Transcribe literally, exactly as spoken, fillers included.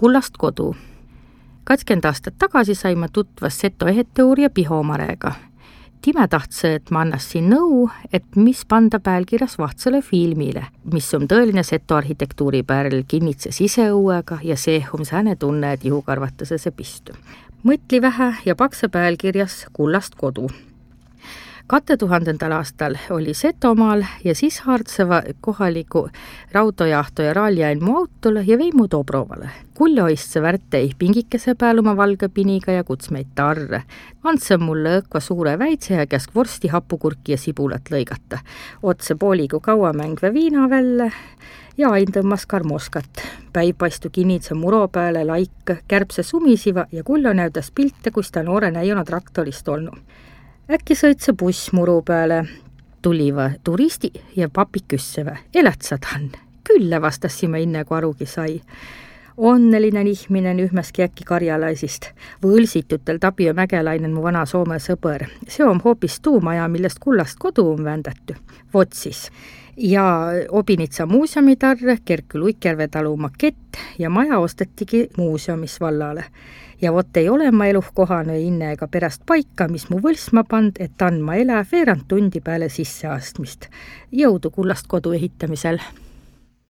Kullast kodu. kakskümmend aastat tagasi saime tutvas Seto eheteooria Pihomarega. Time tahtse, et ma annas siin nõu, et mis panda päälkirjas vahtsale filmile, mis on tõeline Seto arhitektuuri pärl, kinnitse siseõuega ja seehum sääne tunne, et juhukarvatase see pistu. Mõtli vähe ja pakse päälkirjas Kullast kodu. kahe tuhandendal aastal oli Setomaal ja siis Haartseva kohaliku rautojahto ja raaljailmu autole ja veimu Dobrovale. Kuljoistse värtei pingikese pääl oma valge piniga ja kutsmeid tarre. Andse mulle õkva suure väitse ja käsk vorsti, hapukurki ja sibulat lõigata. Otse pooligu kauamängve viina välle ja ain tõmmas karmoskat. Päivpaistu kinitse muro pääle laik, kärbse sumisiva ja Kuljo näüdas pilte, kus ta noore näiona traktorist olnu. Äkki sõitse buss muru peale, tuliva turisti ja papi küssevä. Elätsad han? Külle vastassime inne, kui arugi sai. Onnelinen ihminen yhmäski äkki karjalaisist. Võlsitutel Tapio Mäkelainen mu vana Soome sõber. See on hoopis tuumaja, millest Kullast kodu on vändätty. Vot siis. Ja Obinitsa muuseumitarre, Kerkky Luikjärve talu makett ja maja ostetigi muuseumis vallale. Ja vot ei ole ma eluh kohane inne ega pärast paika, mis mu võlsma pand, et andma elä veerand tundi peale sisseastmist. Jõudu Kullast kodu ehitamisel!